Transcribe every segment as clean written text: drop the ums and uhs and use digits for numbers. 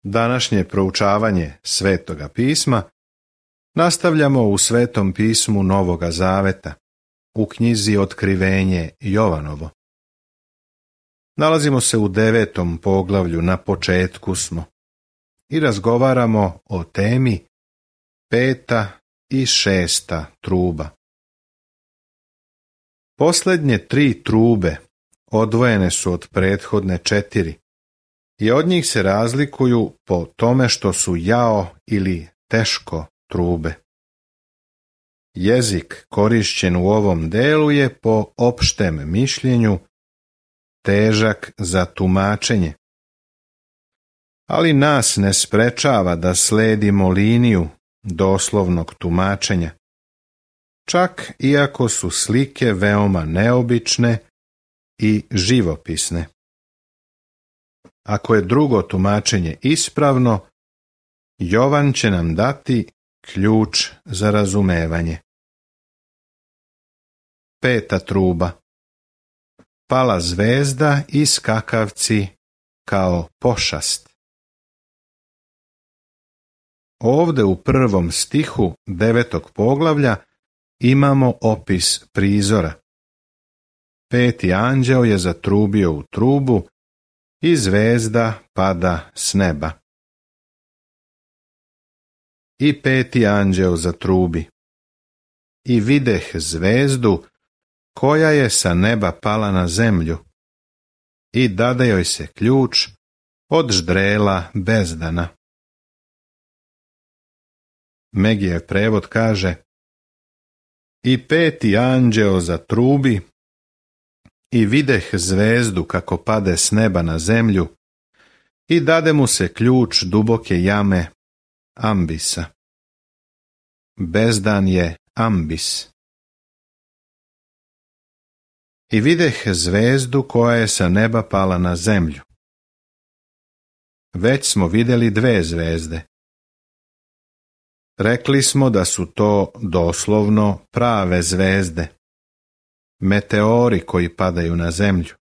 Današnje proučavanje Svetoga pisma nastavljamo u Svetom pismu Novoga Zaveta, u knjizi Otkrivenje Jovanovo. Nalazimo se u 9. poglavlju, na početku smo, i razgovaramo o temi 5. i 6. truba. Posljednje 3 trube odvojene su od prethodne 4 i od njih se razlikuju po tome što su jao ili teško trube. Jezik korišćen u ovom delu je po opštem mišljenju težak za tumačenje, ali nas ne sprečava da sledimo liniju doslovnog tumačenja, čak iako su slike veoma neobične i živopisne. Ako je drugo tumačenje ispravno, Jovan će nam dati ključ za razumevanje. 5. truba. Pala zvezda i skakavci kao pošast. Ovde u 1. stihu 9. poglavlja imamo opis prizora. 5. anđeo je zatrubio u trubu i zvezda pada s neba. I 5. anđeo zatrubi. I videh zvezdu koja je sa neba pala na zemlju i dade joj se ključ od ždrela bezdana. Megijev prevod kaže: I 5. anđeo zatrubi i videh zvezdu kako pade s neba na zemlju i dade mu se ključ duboke jame Ambisa. Bezdan je Ambis. I videh zvezdu koja je sa neba pala na zemlju. Već smo vidjeli 2 zvezde. Rekli smo da su to doslovno prave zvezde, meteori koji padaju na zemlju.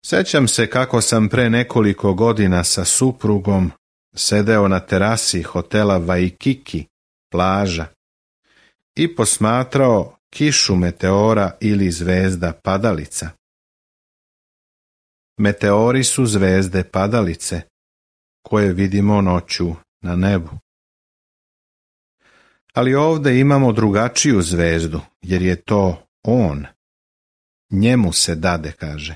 Sjećam se kako sam pre nekoliko godina sa suprugom sedeo na terasi hotela Waikiki, plaža, i posmatrao kišu meteora ili zvezda padalica. Meteori su zvezde padalice koje vidimo noću na nebu. Ali ovdje imamo drugačiju zvezdu, jer je to on. Njemu se dade, kaže,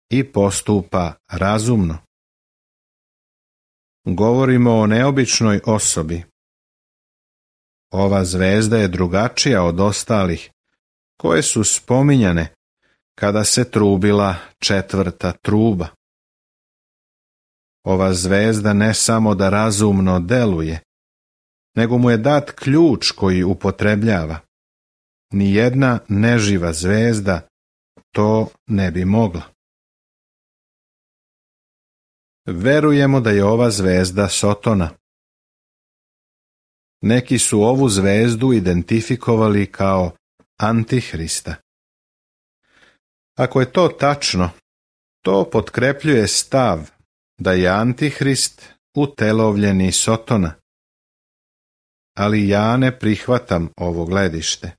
i postupa razumno. Govorimo o neobičnoj osobi. Ova zvezda je drugačija od ostalih, koje su spominjane kada se trubila 4. truba. Ova zvezda ne samo da razumno deluje, nego mu je dat ključ koji upotrebljava. Nijedna neživa zvezda to ne bi mogla. Verujemo da je ova zvezda Sotona. Neki su ovu zvezdu identifikovali kao Antihrista. Ako je to tačno, to potkrepljuje stav da je Antihrist utelovljeni Sotona. Ali ja ne prihvatam ovo gledište.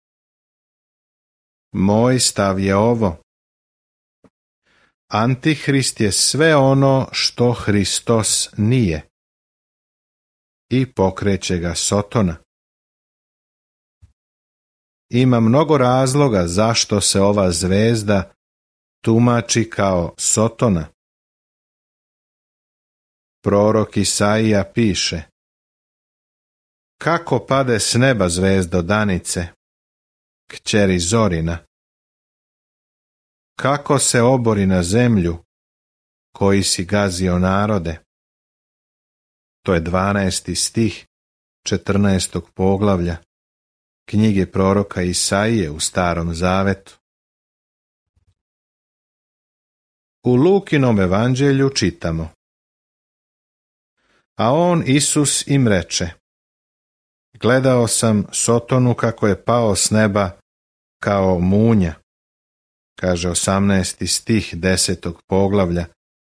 Moj stav je ovo: Antihrist je sve ono što Hristos nije i pokreće ga Sotona. Ima mnogo razloga zašto se ova zvezda tumači kao Sotona. Prorok Isaija piše: Kako pade s neba zvezdo danice, kćeri Zorina? Kako se obori na zemlju, koji si gazio narode? To je 12. stih 14. poglavlja knjige proroka Isaije u Starom Zavetu. U Lukinom evanđelju čitamo: A on, Isus, im reče: Gledao sam Sotonu kako je pao s neba kao munja. Kaže 18. stih 10. poglavlja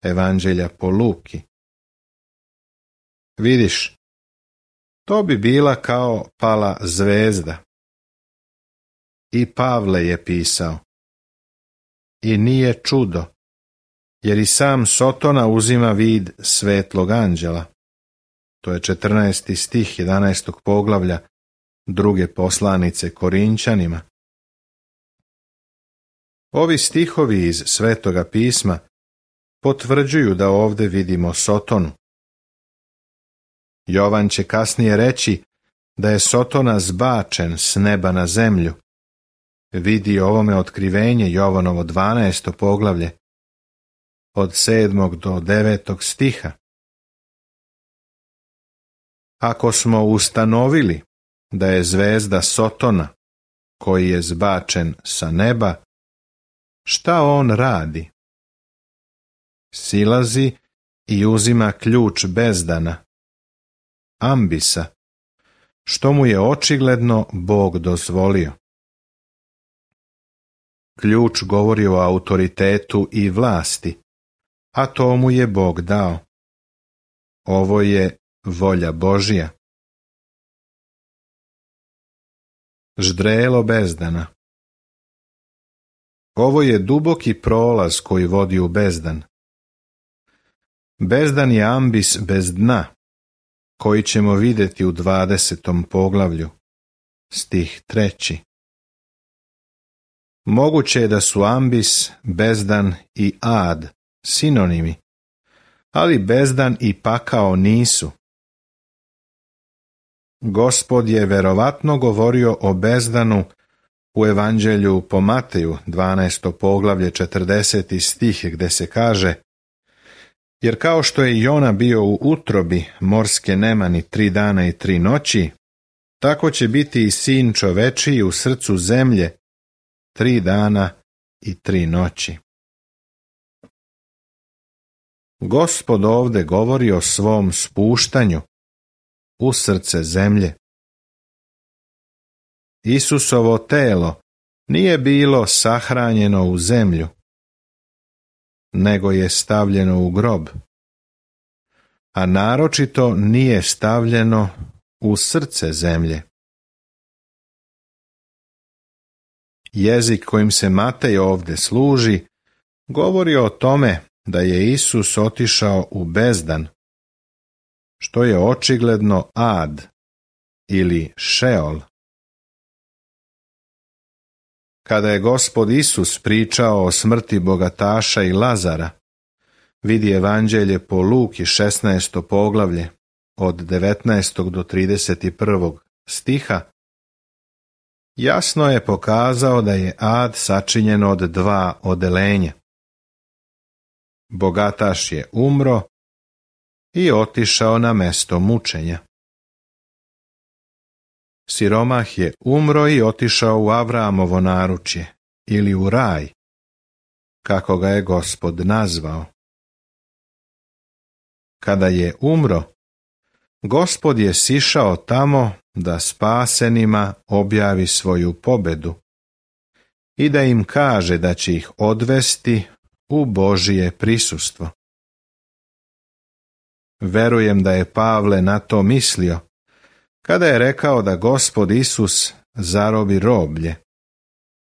Evanđelja po Luki. Vidiš, to bi bila kao pala zvezda. I Pavle je pisao. I nije čudo, jer i sam Sotona uzima vid svetlog anđela. To je 14. stih 11. poglavlja druge poslanice Korinćanima. Ovi stihovi iz Svetoga pisma potvrđuju da ovdje vidimo Sotonu. Jovan će kasnije reći da je Sotona zbačen s neba na zemlju. Vidi ovome otkrivenje Jovanovo 12. poglavlje od 7. do 9. stiha. Ako smo ustanovili da je zvezda Sotona, koji je zbačen sa neba, šta on radi? Silazi i uzima ključ bezdana, ambisa, što mu je očigledno Bog dozvolio. Ključ govori o autoritetu i vlasti, a to mu je Bog dao. Ovo je volja Božja. Ždrelo bezdana. Ovo je duboki prolaz koji vodi u bezdan. Bezdan je ambis bez dna, koji ćemo vidjeti u 20. poglavlju, stih 3. Moguće je da su ambis, bezdan i ad sinonimi, ali bezdan i pakao nisu. Gospod je verovatno govorio o bezdanu u Evanđelju po Mateju, 12. poglavlje, 40. stih, gdje se kaže: jer kao što je Jona bio u utrobi morske nemani 3 dana i 3 noći, tako će biti i sin čovečiji u srcu zemlje 3 dana i 3 noći. Gospod ovdje govori o svom spuštanju u srce zemlje. Isusovo telo nije bilo sahranjeno u zemlju, nego je stavljeno u grob, a naročito nije stavljeno u srce zemlje. Jezik kojim se Matej ovdje služi govori o tome da je Isus otišao u bezdan, što je očigledno ad ili šeol. Kada je Gospod Isus pričao o smrti bogataša i Lazara, vidi Evanđelje po Luki 16. poglavlje od 19. do 31. stiha, jasno je pokazao da je ad sačinjen od 2 odelenja. Bogataš je umro i otišao na mesto mučenja. Siromah je umro i otišao u Avramovo naručje ili u raj, kako ga je Gospod nazvao. Kada je umro, Gospod je sišao tamo da spasenima objavi svoju pobedu i da im kaže da će ih odvesti u Božije prisustvo. Verujem da je Pavle na to mislio kada je rekao da Gospod Isus zarobi roblje,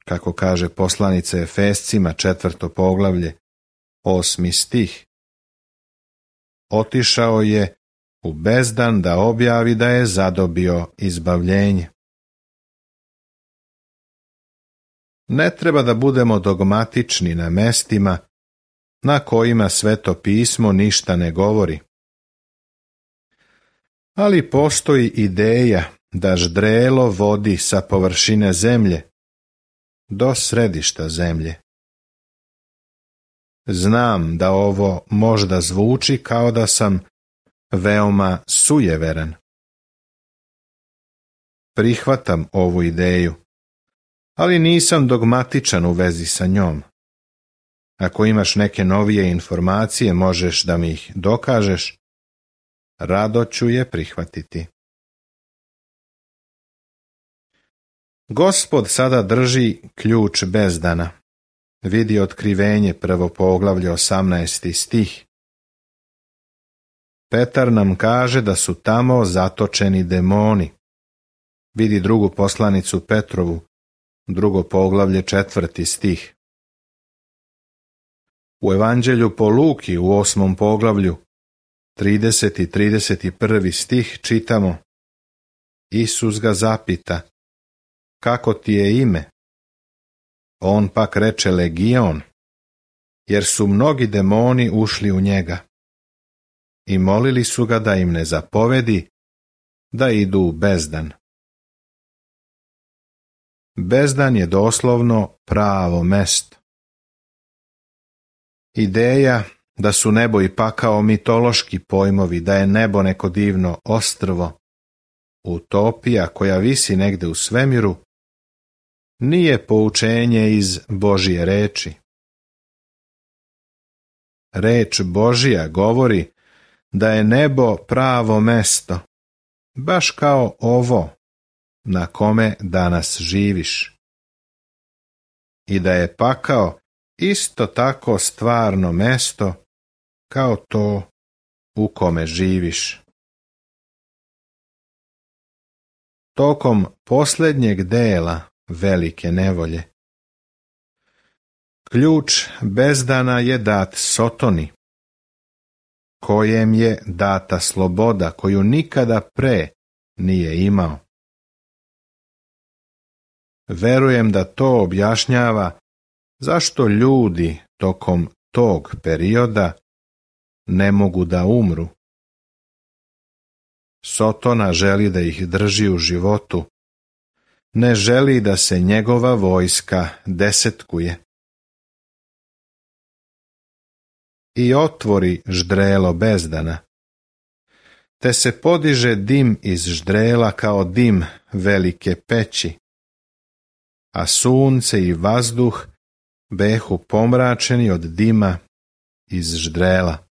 kako kaže poslanica Efescima 4. poglavlje, 8. stih. Otišao je u bezdan da objavi da je zadobio izbavljenje. Ne treba da budemo dogmatični na mestima na kojima Sveto pismo ništa ne govori. Ali postoji ideja da ždrelo vodi sa površine zemlje do središta zemlje. Znam da ovo možda zvuči kao da sam veoma sujeveran. Prihvatam ovu ideju, ali nisam dogmatičan u vezi sa njom. Ako imaš neke novije informacije, možeš da mi ih dokažeš, rado ću je prihvatiti. Gospod sada drži ključ bezdana. Vidi Otkrivenje 1. poglavlje 18. stih. Petar nam kaže da su tamo zatočeni demoni. Vidi drugu poslanicu Petrovu, 2. poglavlje 4. stih. U Evanđelju po Luki u 8. poglavlju 30. i 31. stih čitamo: Isus ga zapita: kako ti je ime? On pak reče Legion, jer su mnogi demoni ušli u njega. I molili su ga da im ne zapovedi da idu u bezdan. Bezdan je doslovno pravo mesto. Ideja da su nebo i pakao mitološki pojmovi, da je nebo neko divno ostrvo, utopija koja visi negde u svemiru, nije poučenje iz Božje reči. Reč Božja govori da je nebo pravo mesto, baš kao ovo na kome danas živiš. I da je pakao isto tako stvarno mesto kao to u kome živiš. Tokom posljednjeg dela velike nevolje, ključ bezdana je dat Sotoni, kojem je data sloboda koju nikada pre nije imao. Verujem da to objašnjava zašto ljudi tokom tog perioda ne mogu da umru. Sotona želi da ih drži u životu, ne želi da se njegova vojska desetkuje. I otvori ždrelo bezdana, te se podiže dim iz ždrela kao dim velike peći, a sunce i vazduh behu pomračeni od dima iz ždrela.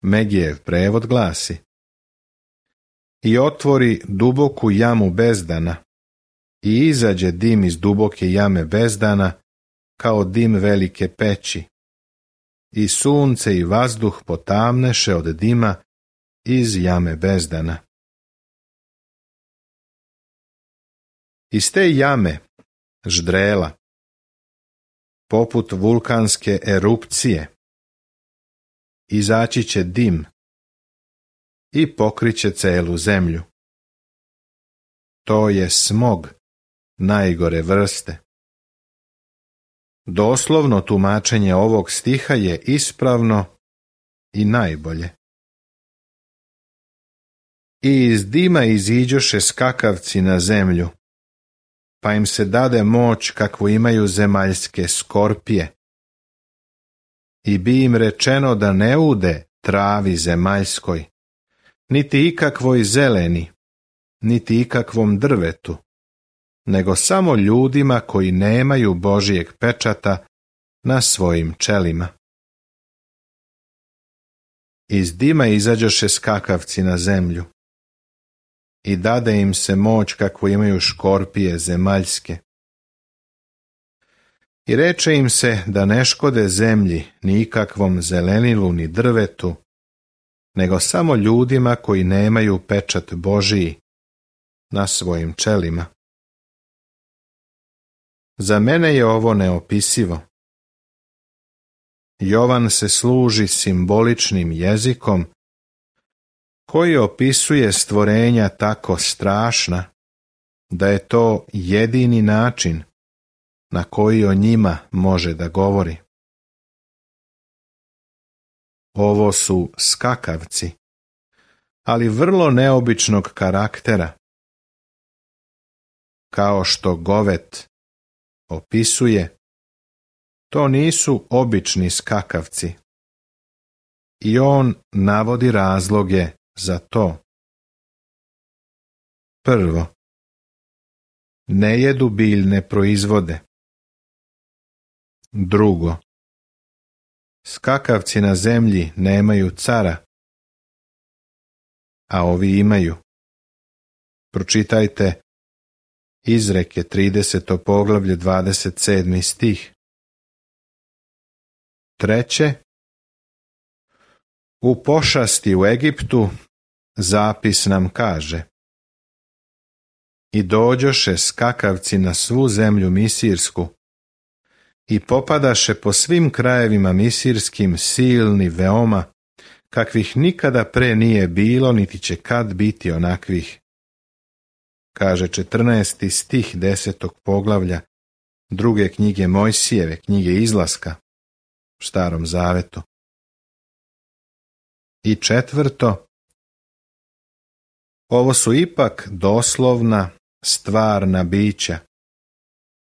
Megijev prevod glasi: i otvori duboku jamu bezdana, i izađe dim iz duboke jame bezdana kao dim velike peći, i sunce i vazduh potamneše od dima iz jame bezdana. Iz te jame, ždrela, poput vulkanske erupcije, izaći će dim i pokriće celu zemlju. To je smog najgore vrste. Doslovno tumačenje ovog stiha je ispravno i najbolje. I iz dima iziđoše skakavci na zemlju, pa im se dade moć kakvu imaju zemaljske skorpije. I bi im rečeno da ne ude travi zemaljskoj, niti ikakvoj zeleni, niti ikakvom drvetu, nego samo ljudima koji nemaju Božijeg pečata na svojim čelima. Iz dima izađoše skakavci na zemlju, i dade im se moć kakvu imaju škorpije zemaljske. I reče im se da ne škode zemlji ni ikakvom zelenilu ni drvetu, nego samo ljudima koji nemaju pečat Božiji na svojim čelima. Za mene je ovo neopisivo. Jovan se služi simboličnim jezikom koji opisuje stvorenja tako strašna da je to jedini način na koji o njima može da govori. Ovo su skakavci, ali vrlo neobičnog karaktera. Kao što Govet opisuje, to nisu obični skakavci. I on navodi razloge za to. Prvo, ne jedu biljne proizvode. Drugo, skakavci na zemlji nemaju cara, a ovi imaju. Pročitajte Izreke 30. poglavlje 27. stih. Treće, U pošasti u Egiptu zapis nam kaže: I dođoše skakavci na svu zemlju misirsku i popadaše po svim krajevima misirskim silni veoma, kakvih nikada pre nije bilo, niti će kad biti onakvih. Kaže 14. stih 10. poglavlja druge knjige Mojsijeve, knjige Izlaska, u Starom zavetu. I četvrto, ovo su ipak doslovna, stvarna bića,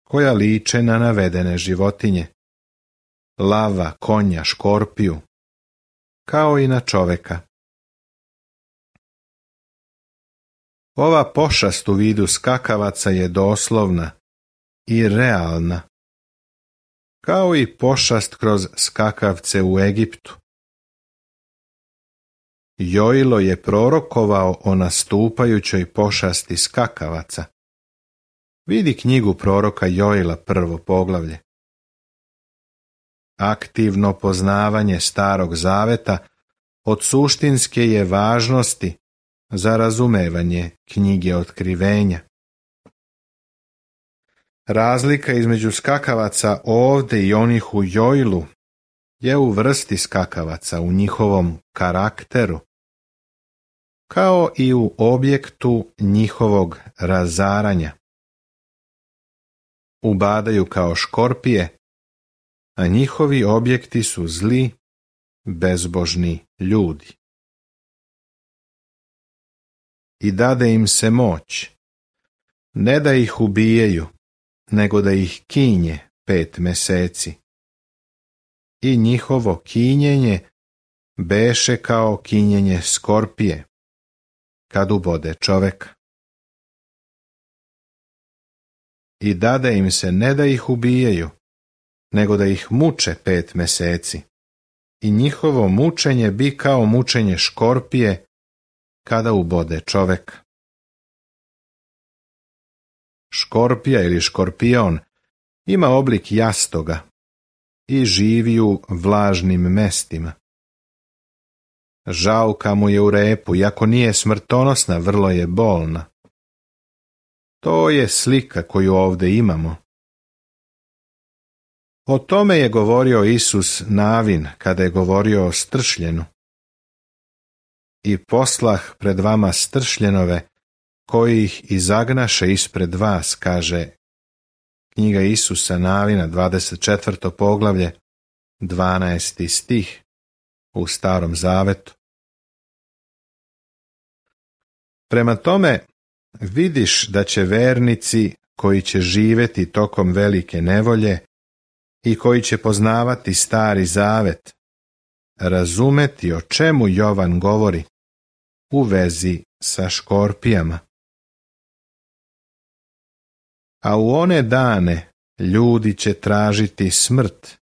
koja liče na navedene životinje, lava, konja, škorpiju, kao i na čoveka. Ova pošast u vidu skakavaca je doslovna i realna, kao i pošast kroz skakavce u Egiptu. Joilo je prorokovao o nastupajućoj pošasti skakavaca. Vidi knjigu proroka Joila, 1. poglavlje. Aktivno poznavanje Starog zaveta od suštinske je važnosti za razumevanje knjige Otkrivenja. Razlika između skakavaca ovde i onih u Joilu je u vrsti skakavaca, u njihovom karakteru, kao i u objektu njihovog razaranja. Ubadaju kao škorpije, a njihovi objekti su zli, bezbožni ljudi. I dade im se moć, ne da ih ubijaju, nego da ih kinje 5 meseci. I njihovo kinjenje beše kao kinjenje skorpije, kad ubode čoveka. I dade im se ne da ih ubijaju, nego da ih muče 5 meseci. I njihovo mučenje bi kao mučenje škorpije, kada ubode čoveka. Škorpija ili škorpion ima oblik jastoga i živi u vlažnim mestima. Žauka mu je u repu, iako nije smrtonosna, vrlo je bolna. To je slika koju ovdje imamo. O tome je govorio Isus Navin kada je govorio o stršljenu. I poslah pred vama stršljenove, koji ih izagnaše ispred vas, kaže knjiga Isusa Navina, 24. poglavlje, 12. stih u Starom zavetu. Prema tome, vidiš da će vernici koji će živjeti tokom velike nevolje i koji će poznavati Stari zavet, razumeti o čemu Jovan govori u vezi sa škorpijama. A u one dane ljudi će tražiti smrt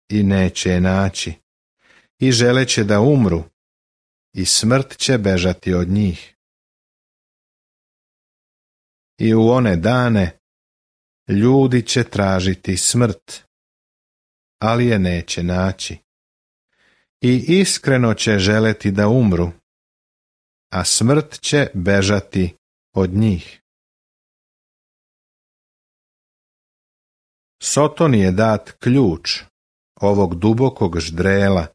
i neće je naći, i želeće da umru, i smrt će bežati od njih. I u one dane ljudi će tražiti smrt, ali je neće naći, i iskreno će želeti da umru, a smrt će bežati od njih. Sotoni je dat ključ ovog dubokog ždrela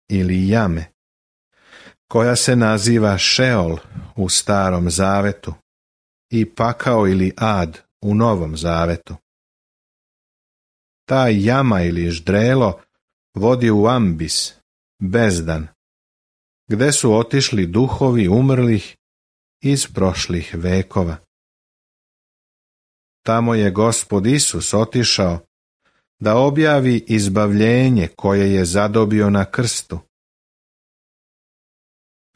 ili jame, koja se naziva Šeol u Starom zavetu i pakao ili ad u Novom zavetu. Ta jama ili ždrelo vodi u ambis, bezdan, gde su otišli duhovi umrlih iz prošlih vekova. Tamo je Gospod Isus otišao da objavi izbavljenje koje je zadobio na krstu.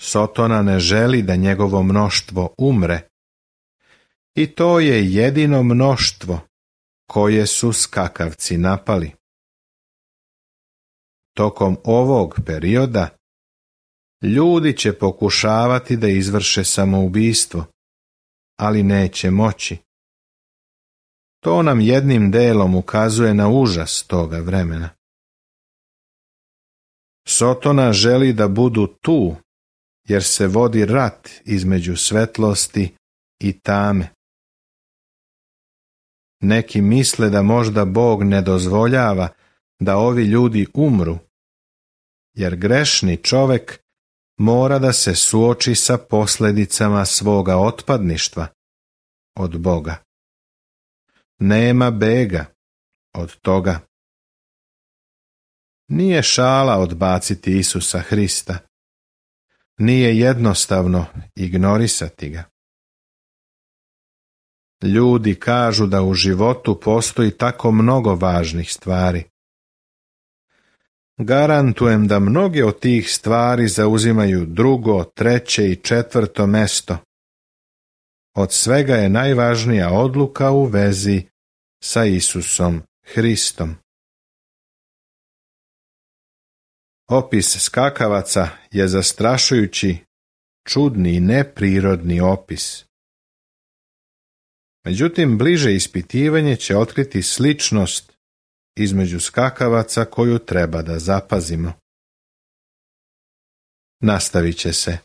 Sotona ne želi da njegovo mnoštvo umre, i to je jedino mnoštvo koje su skakavci napali. Tokom ovog perioda ljudi će pokušavati da izvrše samoubistvo, ali neće moći. To nam jednim delom ukazuje na užas toga vremena. Sotona želi da budu tu, jer se vodi rat između svetlosti i tame. Neki misle da možda Bog ne dozvoljava da ovi ljudi umru, jer grešni čovek mora da se suoči sa posljedicama svoga otpadništva od Boga. Nema bega od toga. Nije šala odbaciti Isusa Hrista. Nije jednostavno ignorisati ga. Ljudi kažu da u životu postoji tako mnogo važnih stvari. Garantujem da mnoge od tih stvari zauzimaju drugo, treće i četvrto mesto. Od svega je najvažnija odluka u vezi sa Isusom Hristom. Opis skakavaca je zastrašujući, čudni i neprirodni opis. Međutim, bliže ispitivanje će otkriti sličnost između skakavaca koju treba da zapazimo. Nastavit će se.